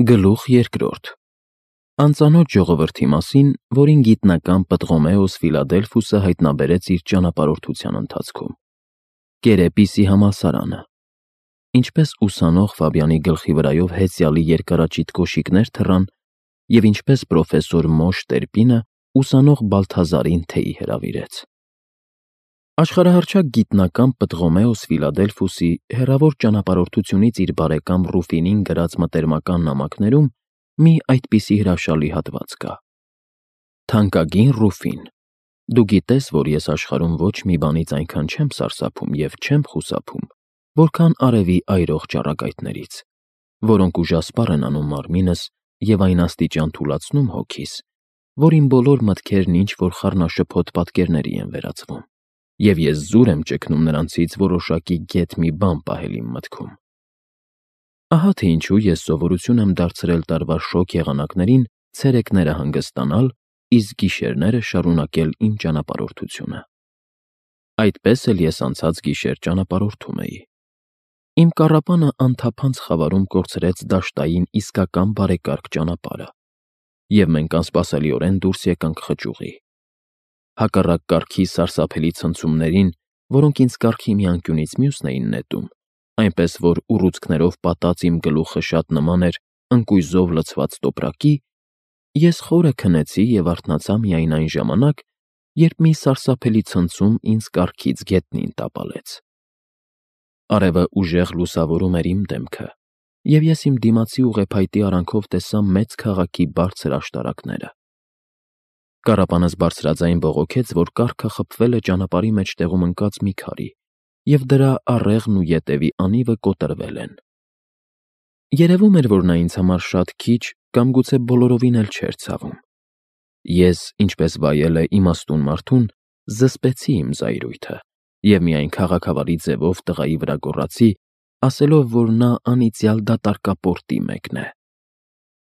Գլուխ երկրորդ. Անծանոթ ժողովրդի մասին, որին գիտնական Պտղոմեոս Ֆիլադելֆոսը հայտնաբերեց իր ճանապարհորդության ընթացքում։ Կերեպիսի համալսարանը։ Ինչպես ուսանող Ֆաբյանի գլխի վրայով հեծյալի երկարաճիտ կոշիկներ թռան, և ինչպես պրոֆեսոր Մոշ Տրեպինը ուսանող Բալթազարին թեյի հրավիրեց։ Աշխարհահռչակ գիտնական Պտղոմեոս Ֆիլադելֆոսի հեռավոր ճանապարհորդությունից իր բարեկամ Ռուֆինին գրած մտերմական նամակներում մի այդպիսի հրաշալի հատված կա. «Թանկագին Ռուֆին, դու գիտես, որ ես աշխարհում ոչ մի բանից այնքան չեմ սարսափում և չեմ խուսափում, որքան արևի այրող ճառագայթներից, որոնք ուժասպառ են անում մարմինս և այն աստիճան թուլացնում հոգիս, որ իմ բոլոր մտքերն ինչ-որ խառնաշփոթ պատկերների են վերածվում, և ես զուր եմ ճգնում նրանցից որոշակի գեթ մի բան պահել իմ մտքում։ Ահա թե ինչու ես սովորություն եմ դարձրել տարվա շոգ եղանակներին ցերեկները հանգստանալ, իսկ գիշերները շարունակել իմ ճանապարհորդությունը։ Այդպես էլ ես անցած գիշեր ճանապարհորդում էի։ Իմ կառապանը անթափանց խավարում կորցրեց դաշտային իսկական բարեկարգ ճանապարհը, և մենք անսպասելիորեն դուրս եկանք խճուղի։ Հակառակ կարգի սարսափելի ցնցումներին, որոնք ինձ կառքի մի անկյունից մյուսն էին նետում, այնպես որ ուռուցքներով պատած իմ գլուխը շատ նման էր ընկույզով լցված տոպրակի, ես խորը քնեցի և արթնացա միայն այն ժամանակ, երբ մի սարսափելի ցնցում ինձ կառքից գետնին տապալեց։ Արևը ուժեղ լուսավորում էր իմ դեմքը, և ես իմ դիմացի ուղեփայտի արանքով տեսա մեծ քաղաքի բարձր աշտարակները։ Կառապանս բարձրաձայն բողոքեց, որ կառքը խփվել է ճանապարհի մեջտեղում ընկած մի քարի, և դրա առեղն ու ետևի անիվը կոտրվել են։ Երևում էր, որ նա ինձ համար շատ քիչ կամ գուցե բոլորովին էլ չէր ցավում։ Ես, ինչպես վայել է իմաստուն մարդուն, զսպեցի իմ զայրույթը և միայն քաղաքավարի ձևով տղայի վրա գոռացի, ասելով, որ նա անիծյալ դատարկապորտի մեկն է։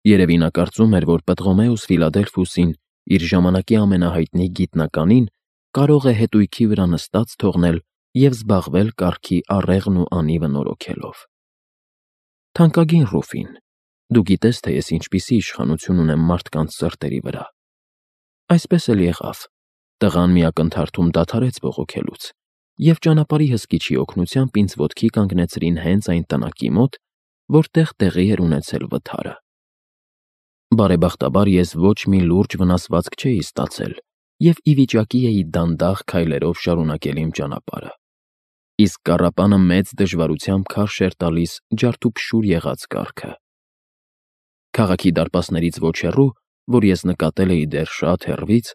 Երևի նա կարծում էր, որ Պտղոմեոս Ֆիլադելֆոսին, իր ժամանակի ամենահայտնի գիտնականին, կարող է հետույքի վրա նստած թողնել և զբաղվել կառքի առեղն ու անիվը նորոգելով։ Թանկագին Ռուֆին, դու գիտես, թե ես ինչպիսի իշխանություն ունեմ մարդկանց սրտերի վրա։ Այսպես էլ եղավ. տղան մի ակնթարթում դադարեց բողոքելուց, և ճանապարհի հսկիչի օգնությամբ ինձ ոտքի կանգնեցրին հենց այն տնակի մոտ, որտեղ տեղի էր ունեցել վթարը։ Բարեբախտաբար ես ոչ մի լուրջ վնասվածք չէի ստացել և ի վիճակի էի դանդաղ քայլերով շարունակել իմ ճանապարհը, իսկ կառապանը մեծ դժվարությամբ քարշ էր տալիս ջարդուփշուր եղած կառքը։ Քաղաքի դարպասներից ոչ հեռու, որ ես նկատել էի դեռ շատ հեռվից,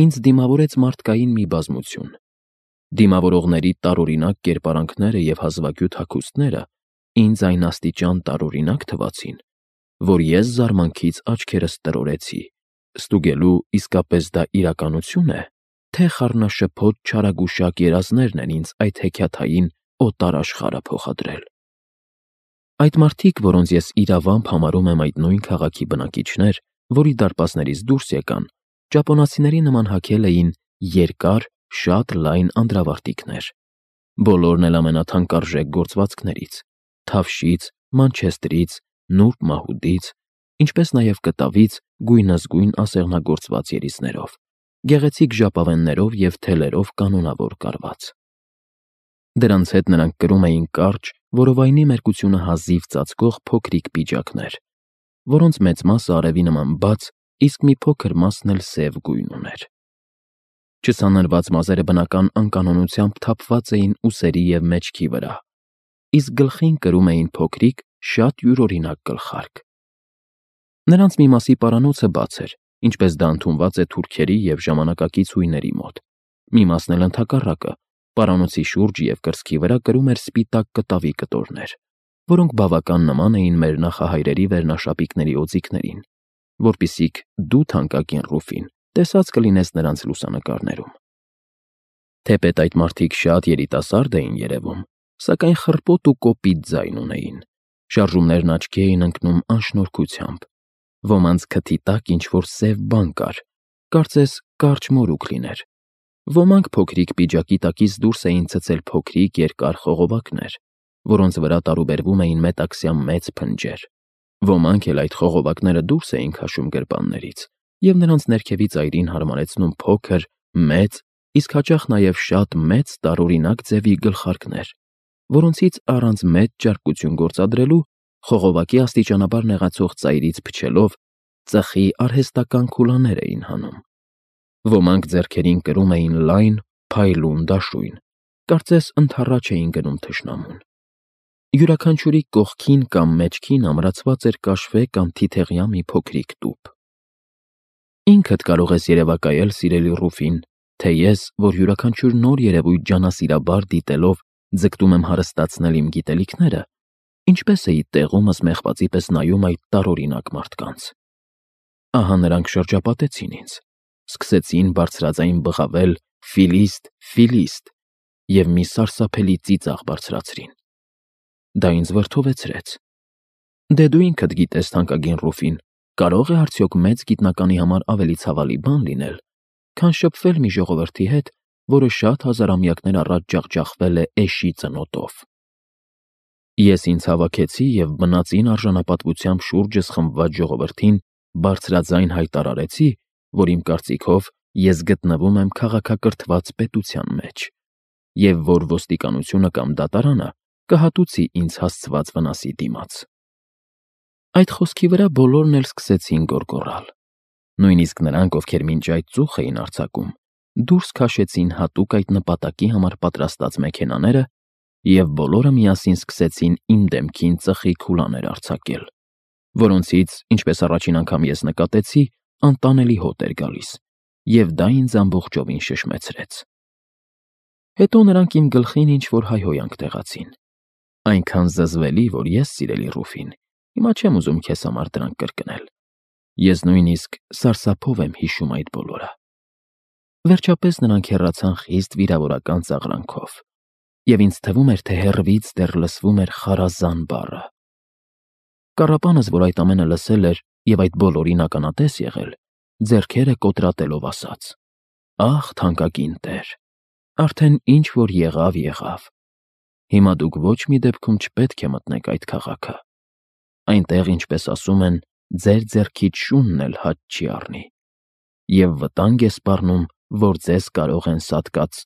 ինձ դիմավորեց մարդկային մի բազմություն։ Դիմավորողների տարօրինակ կերպարանքները և հազվագյուտ հագուստները ինձ այն աստիճան տարօրինակ թվացին, որ ես զարմանքից աչքերս տրորեցի, ստուգելու իսկապես դա իրականություն է, թե խառնաշփոթ չարագուշակ երազներն են ինձ այդ հեքիաթային օտար աշխարհը փոխադրել։ Այդ մարդիկ, որոնց ես իրավամբ համարում եմ այդ նույն քաղաքի բնակիչներ, որի դարպասներից դուրս եկան, ճապոնացիների նման հագել էին երկար, շատ լայն անդրավարտիքներ, բոլորն էլ ամենաթանկարժեք գործվածքներից՝ թավշից, մանչեստրից, նուրբ մահուդից, ինչպես նաև կտավից գույնզգույն ասեղնագործված երիզներով, գեղեցիկ ժապավեններով և թելերով կանոնավոր կարված։ Դրանց հետ նրանք կրում էին կարճ, որովայնի մերկությունը հազիվ ծածկող փոքրիկ պիջակներ, որոնց մեծ մասը արևի նման բաց, իսկ մի փոքր մասն էլ սև գույն ուներ։ Չսանրված մազերը բնական անկանոնությամբ թափված էին ուսերի և մեջքի վրա, իսկ գլխին կրում էին փոքրիկ, շատ յուրօրինակ գլխարկ։ Նրանց մի մասի պարանոցը բաց էր, ինչպես դա ընդունված է թուրքերի և ժամանակակից հույների մոտ, մի մասն էլ ընդհակառակը, պարանոցի շուրջը և կրծքի վրա կրում էր սպիտակ կտավի կտորներ, որոնք բավական նման էին մեր նախահայրերի վերնաշապիկների օձիքներին, որպիսիք դու, թանկագին Ռուֆին, տեսած կլինես նրանց լուսանկարներում։ Թեպետ այդ մարդիկ շատ երիտասարդ էին երևում, սակայն խռպոտ ու կոպիտ ձայն ունեին, շարժումներն աչքի էին ընկնում անշնորհքությամբ, ոմանց քթի տակ ինչ-որ սև բան կար, կարծես կարճ մորուք լիներ, ոմանք փոքրիկ պիջակի տակից դուրս էին ցցել փոքրիկ երկար խողովակներ, որոնց վրա տարուբերվում էին մետաքսյա մեծ փնջեր, Ոմանք էլ այդ խողովակները դուրս էին քաշում գրպաններից և նրանց ներքևից այրին հարմարեցնում փոքր, մեծ, իսկ հաճախ նաև շատ մեծ տարօրինակ ձևի գլխարկներ, որոնցից առանց մեծ ճարպկություն գործադրելու խողովակի աստիճանաբար նեղացող ծայրից փչելով ծխի արհեստական քուլաներ էին հանում։ Ոմանք ձեռքերին կրում էին լայն, փայլուն դաշույն, կարծես ընդառաջ էին գնում թշնամուն։ Յուրաքանչյուրի կողքին կամ մեջքին ամրացված էր կաշվե կամ թիթեղյա մի փոքրիկ տուփ։ Ինքդ կարող ես երևակայել, սիրելի Ռուֆին, թե ես, որ յուրաքանչյուր նոր երևույթ ջանասիրաբար դիտելով ձգտում եմ հարստացնել իմ գիտելիքները, ինչպես էի տեղումս մեղվածի պես նայում այդ տարօրինակ մարդկանց։ Ահա նրանք շրջապատեցին ինձ, սկսեցին բարձրաձայն բղավել «Ֆիլիստ, Ֆիլիստ» և մի սարսափելի ծիծաղ բարձրացրին։ Դա ինձ վրդովեցրեց։ Դե դու ինքդ գիտես, թանկագին Ռուֆին, կարող է արդյոք մեծ գիտնականի համար ավելի ցավալի բան լինել, քան շփվել մի ժողովրդի հետ, որը շատ հազարամյակներ առաջ ջախջախվել է էշի ծնոտով։ Ես ինձ հավաքեցի և բնածին արժանապատվությամբ շուրջս խմբված ժողովրդին բարձրաձայն հայտարարեցի, որ իմ կարծիքով ես գտնվում եմ քաղաքակրթված պետության մեջ, և որ ոստիկանությունը կամ դատարանը կհատուցի ինձ հասցված վնասի դիմաց։ Այդ խոսքի վրա բոլորն էլ սկսեցին գոռգոռալ։ Նույնիսկ նրանք, ովքեր մինչ այդ ծուխ էին արձակում, դուրս քաշեցին հատուկ այդ նպատակի համար պատրաստած մեքենաները և բոլորը միասին սկսեցին իմ դեմքին ծխի քուլաներ արձակել, որոնցից, ինչպես առաջին անգամ ես նկատեցի, անտանելի հոտ էր գալիս, և դա ինձ ամբողջովին շշմեցրեց։ Հետո նրանք իմ գլխին ինչ-որ հայհոյանք տեղացին, այնքան զզվելի, որ ես, սիրելի Ռուֆին, հիմա չեմ ուզում քեզ համար դրանք կրկնել։ Ես նույնիսկ սարսափով եմ հիշում այդ բոլորը։ Վերջապես նրանք հեռացան խիստ վիրավորական ծաղրանքով, և ինձ թվում էր, թե հեռվից դեռ լսվում էր խարազան բառը։ Կառապանս, որ այդ ամենը լսել էր և այդ բոլորին ականատես եղել, ձեռքերը կոտրատելով ասաց. «Ախ, թանկագին տեր, արդեն ինչ որ եղավ, եղավ։ Հիմա դուք ոչ մի դեպքում չպետք է մտնեք այդ քաղաքը։ Այնտեղ, ինչպես ասում են, ձեր ձեռքից շունն էլ հաճ չի առնի։ Եվ վտանգ է սպառնում, որ ձեզ կարող են սատկած»։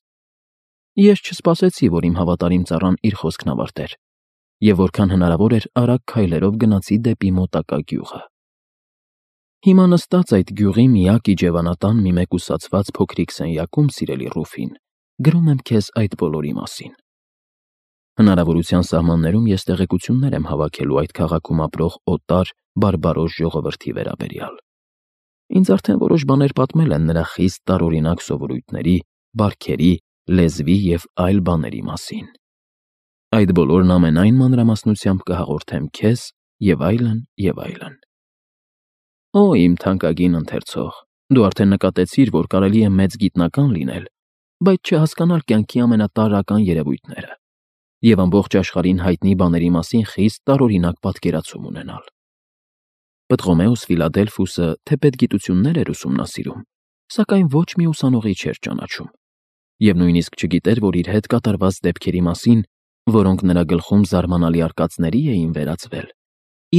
Ես չսպասեցի, որ իմ հավատարիմ ծառան իր խոսքն ավարտեր, և որքան հնարավոր էր արագ քայլերով գնացի դեպի մոտակա գյուղը։ Հիմա նստած այդ գյուղի միակ իջևանատան մի մեկուսացված փոքրիկ սենյակում, սիրելի Ռուֆին, գրում եմ քեզ այդ բոլորի մասին։ Հնարավորության սահմաններում ես տեղեկություններ եմ հավաքելու այդ քաղաքում ապրող օտար, բարբարոս ժողովրդի վերաբերյալ։ Ինձ արդեն որոշ բաներ պատմել են նրա խիստ տարօրինակ սովորույթների, բարքերի, լեզվի և այլ բաների մասին։ Այդ բոլորն ամենայն մանրամասնությամբ կհաղորդեմ քեզ և այլն, և այլն։ Օ, իմ թանկագին ընթերցող, դու արդեն նկատեցիր, որ կարելի է մեծ գիտնական լինել, բայց չհասկանալ կյանքի ամենատարրական երևույթները և ամբողջ աշխարհին հայտնի բաների մասին խիստ տարօրինակ պատկերացում ունենալ։ Պտղոմեոս Ֆիլադելֆոսը թեպետ գիտություններ էր ուսումնասիրում, սակայն ոչ մի ուսանողի չէր ճանաչում, և նույնիսկ չգիտեր, որ իր հետ կատարված դեպքերի մասին, որոնք նրա գլխում զարմանալի արկածների էին վերածվել,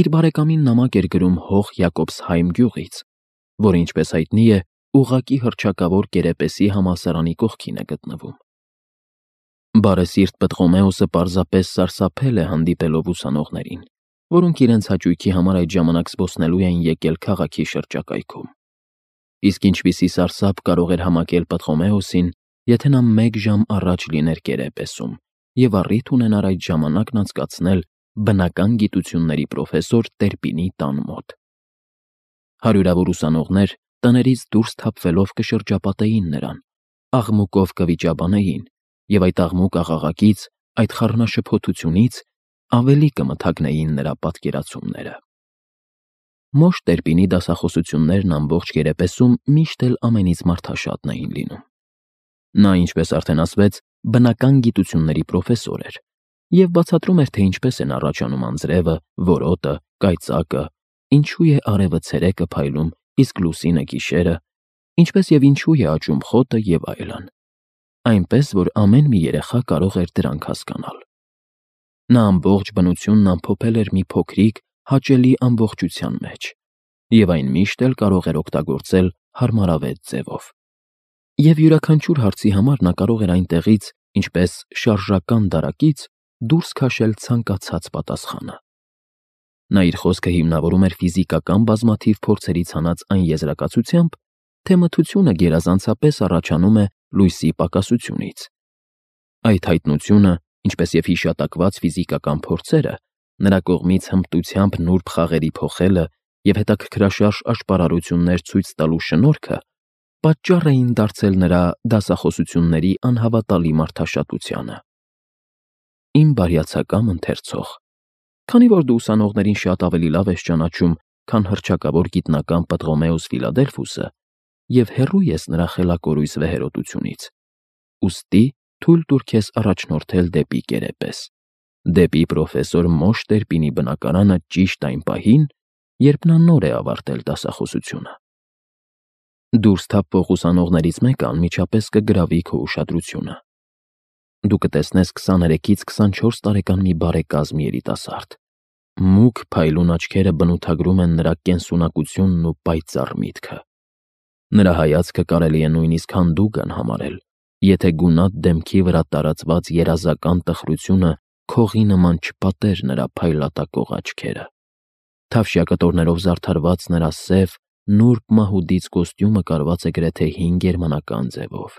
իր բարեկամին նամակ էր գրում հող Յակոբսհայմ գյուղից, որը, ինչպես հայտնի է, ուղղակի հռչակավոր Կերեպեսի համալսարանի կողքին է գտնվում։ Բարեսիրտ Պտղոմեոսը պարզապես սարսափել է հանդիպելով ուսանողներին, որոնք իրենց հաճույքի համար այդ ժամանակ զբոսնելու էին եկել քաղաքի շրջակայքում։ Իսկ ինչպիսի սարսափ կարող էր համակել Պտղոմեոսին, եթե նա 1 ժամ առաջ լիներ Կերեպեսում և առիթ ունենար այդ ժամանակն անցկացնել բնական գիտությունների պրոֆեսոր Տերպինի տան մոտ։ Հարյուրավոր ուսանողներ տներից դուրս թափվելով կշրջապատեին նրան, աղմուկով կվիճաբանեին և այդ աղմուկ աղաղակից, այդ խառնաշփոթությունից ավելի կմթագնեին նրա պատկերացումները։ Մոշ Տերպինի դասախոսություններն ամբողջ Կերեպեսում միշտ էլ ամենից մարդաշատն էին լինում։ Նա, ինչպես արդեն ասվեց, բնական գիտությունների պրոֆեսոր էր և բացատրում էր, թե ինչպես են առաջանում անձրևը, որոտը, կայծակը, ինչու է արևը ցերեկը փայլում, իսկ լուսինը գիշերը, ինչպես և ինչու է աճում խոտը և այլն, այնպես, որ ամեն մի երեխա կարող էր դրանք հասկանալ։ Նա ամբողջ բնությունն ամփոփել էր մի փոքրիկ, հաճելի ամբողջության մեջ, եւ այն միշտ էլ կարող էր օգտագործել հարմարավետ ձևով։ Եվ յուրաքանչյուր հարցի համար նա կարող էր այնտեղից, ինչպես շարժական դարակից, դուրս քաշել ցանկացած պատասխանը։ Նա իր խոսքը հիմնավորում էր ֆիզիկական բազմաթիվ փորձերից հանած այն եզրակացությամբ, թե մթությունը գերազանցապես առաջանում է լույսի պակասությունից։ Այդ հայտնությունը, ինչպես եւ հիշատակված ֆիզիկական փորձերը, նրա կողմից հմտությամբ նուրբ խաղերի փոխելը եւ հետաքրքրաշարժ աշխարհարություններ ցույց տալու շնորհքը պատճառ էին դարձել նրա դասախոսությունների անհավատալի մարդաշատությանը։ Իմ բարյացակամ ընթերցող, քանի որ դու ուսանողներին շատ ավելի լավ ես ճանաչում, քան հռչակավոր գիտնական Պտղոմեոս Ֆիլադելֆոսը, եւ հեռու ես նրա խելակորույս վեհերոտությունից, ուստի թույլ տուր քեզ առաջնորդել դեպի կերեպես, դեպի պրոֆեսոր Մոշ Տերպինի բնակարանը ճիշտ այն պահին, երբ նա նոր է ավարտել դասախոսությունը։ Դուրս թափվող ուսանողներից մեկը անմիջապես կգրավի քո ուշադրությունը։ Դու կտեսնես 23-ից 24 տարեկան մի բարեկազմ երիտասարդ։ Մուգ փայլուն աչքերը բնութագրում են նրա կենսունակությունն ու պայծառ միտքը։ Նրա հայացքը կարելի է նույնիսկ հանդուգն համարել, եթե գունատ դեմքի վրա տարածված երազական տխրությունը քողի նման չպատեր նրա փայլատակող աչքերը։ Թավշյա կտորներով զարդարված նրա սև, նուրբ մահուդից կոստյումը կարված է գրեթե հին գերմանական ձևով,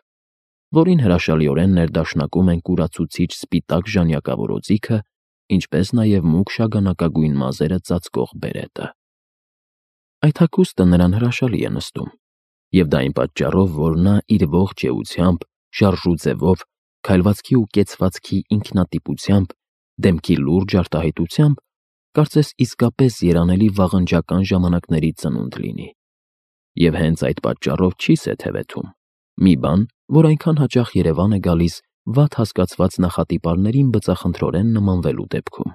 որին հրաշալիորեն ներդաշնակում են կուրացուցիչ սպիտակ ժանյակավոր օձիքը, ինչպես նաև մուգ շագանակագույն մազերը ծածկող բերետը։ Այդ հագուստը նրան հրաշալի է նստում, եւ դա այն պատճառով, որ նա իր ողջ էությամբ, շարժու ձևով, քայլվածքի ու կեցվածքի ինքնատիպությամբ, դեմքի լուրջ արտահայտությամբ, կարծես իսկապես երանելի վաղնջական ժամանակների ծնունդ լինի։ Եվ հենց այդ պատճառով չի սեթևեթում, մի բան, որ այնքան հաճախ Երևան է գալիս վատ հասկացված նախատիպարներին բծախնդրորեն նմանվելու դեպքում։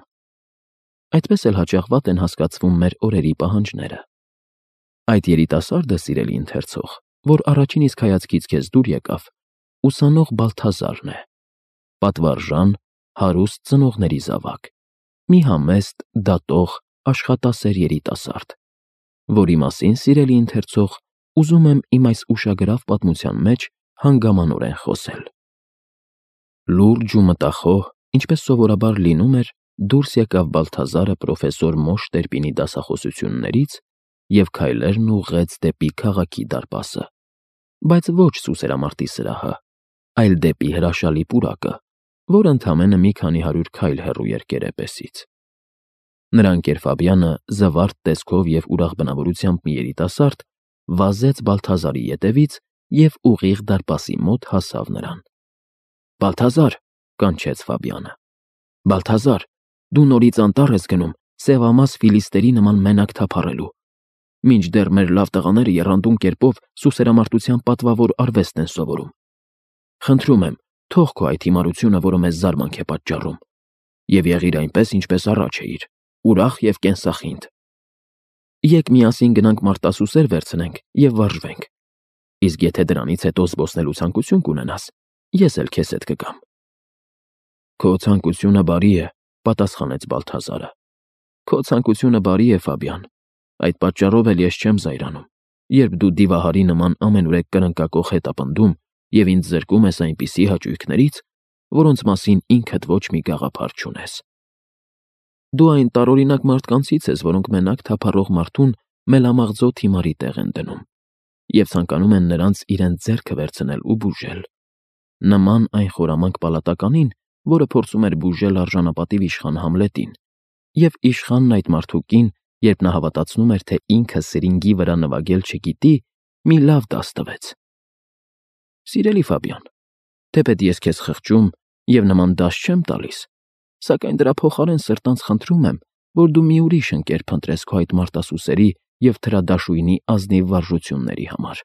Այդպես էլ հաճախ վատ են հասկացվում մեր օրերի պահանջները։ Այդ երիտասարդը, սիրելի ընթերցող, որ առաջին իսկ հայացքից քեզ դուր եկավ, ուսանող Բալթազարն է, պատվարժան, հարուստ ծնողների զավակ, մի համեստ, դատող, աշխատասեր երիտասարդ, որի մասին, սիրելի ընթերցող, ուզում եմ իմ այս ուշագրավ պատմության մեջ հանգամանորեն խոսել։ Լուրջ ու մտախոհ, ինչպես սովորաբար լինում էր, դուրս եկավ Բալթազարը պրոֆեսոր Մոշ Տերպինի դասախոսություններից և քայլերն ուղղեց դեպի քաղաքի դարպասը, բայց ոչ Սուսերամարտի սրահը, այլ դեպի հրաշալի պուրակը, որ ընդամենը մի քանի 100 քայլ հեռու էր կերեպեսից։ Նրա ընկեր Ֆաբյանը, զվարթ տեսքով և ուրախ բնավորությամբ մի երիտասարդ, վազեց Բալթազարի ետևից և ուղիղ դարպասի մոտ հասավ նրան։ «Բալթազար», կանչեց Ֆաբյանը, «Բալթազար, դու նորից անտառ ես գնում սևամաս ֆիլիստերի նման մենակ թափառելու։ Մինչդեռ մեր լավ տղաները եռանդուն կերպով սուսերամարտության պատվավոր արվեստ են սովորում։ Խնդրում եմ, թող քո այդ հիմարությունը, որը մեզ զարմանք է պատճառում, և եղիր այնպես, ինչպես առաջ էիր, ուրախ և կենսախինդ։ Եկ միասին գնանք մարտասուսեր վերցնենք և վարժվենք։ Իսկ եթե դրանից հետո զբոսնելու ցանկություն կունենաս, ես էլ քեզ հետ կգամ»։ «Քո ցանկությունը բարի է», պատասխանեց Բալթազարը։ «Քո ցանկությունը բարի է, Ֆաբյան, այդ պատճառով էլ ես չեմ զայրանում, երբ դու դիվահարի նման ամենուրեք կրնկակոխ հետապնդում և ինձ զրկում ես այնպիսի հաճույքներից, որոնց մասին ինքդ ոչ մի գաղափար չունես։ Դու այն տարօրինակ մարդկանցից ես, որոնք մենակ թափառող մարդուն մելամաղձոտ հիմարի տեղ են դնում և ցանկանում են նրանց իրենց ձեռքը վերցնել ու բուժել, նման այն խորամանկ պալատականին, որը փորձում էր բուժել արժանապատիվ իշխան Համլետին, և իշխանն այդ մարդուկին, երբ նա հավատացնում էր, թե ինքը սրինգի վրա նվագել չգիտի, մի լավ դաս տվեց։ Սիրելի Ֆաբյան, թեպետ ես քեզ խղճում և նման դաս չեմ տալիս, սակայն դրա փոխարեն սրտանց խնդրում եմ, որ դու մի ուրիշ ընկեր փնտրես քո այդ մարտասուսերի և թրադաշույնի ազնիվ վարժությունների համար,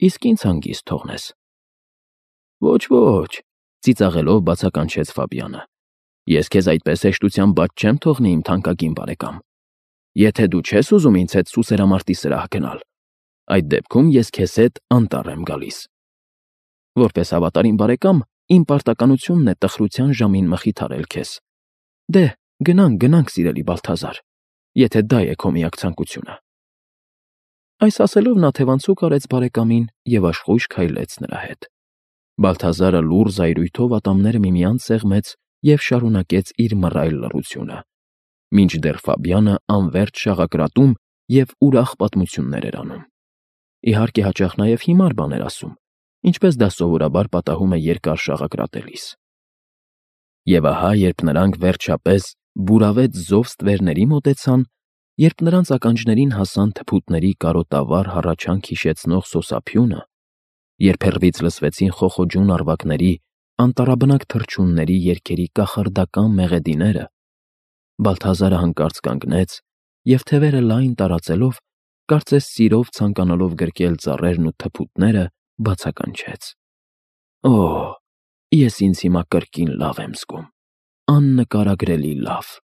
իսկ ինձ հանգիստ թողնես։ Ոչ, ծիծաղելով բացականչեց Ֆաբյանը, ես քեզ այդպես հեշտությամբ բաց չեմ թողնի, իմ թանկագին բարեկամ։ Եթե դու չես ուզում ինձ հետ Սուսերամարտի սրահ գնալ, այդ դեպքում ես քեզ հետ անտառ եմ գալիս։ Որպես հավատարիմ բարեկամ, իմ պարտականությունն է տխրության ժամին մխիթարել քեզ։ Դե, գնանք, սիրելի Բալթազար, եթե դա է քո միակ ցանկությունը։ Այս ասելով նա թևանցուկ արեց բարեկամին և աշխույժ քայլեց նրա հետ։ Բալթազարը լուռ զայրույթով ատամները միմյանց սեղմեց և շարունակեց իր մռայլ լռությունը, մինչդեռ Ֆաբյանը անվերջ շաղակրատում և ուրախ պատմություններ էր անում։ Իհարկե, հաճախ նաև հիմար բաներ ասում, ինչպես դա սովորաբար պատահում է երկար շաղակրատելիս։ Եվ ահա, երբ նրանք, վերջապես, բուրավետ զով ստվերների մոտեցան, երբ նրանց ականջներին հասան թփուտների կարոտավառ հառաչանք հիշեցնող սոսափյունը, երբ հեռվից լսվեցին խոխոջուն առվակների, անտառաբնակ թռչունների երգերի կախարդական մեղեդիները, Բալթազարը հանկարծ կանգնեց և, թևերը լայն տարածելով, կարծես սիրով ցանկանալով գրկել ծառերն ու թփուտները, բացականչեց. «Օ՜, ես ինձ հիմա կրկին լավ եմ զգում, աննկարագրելի լավ»։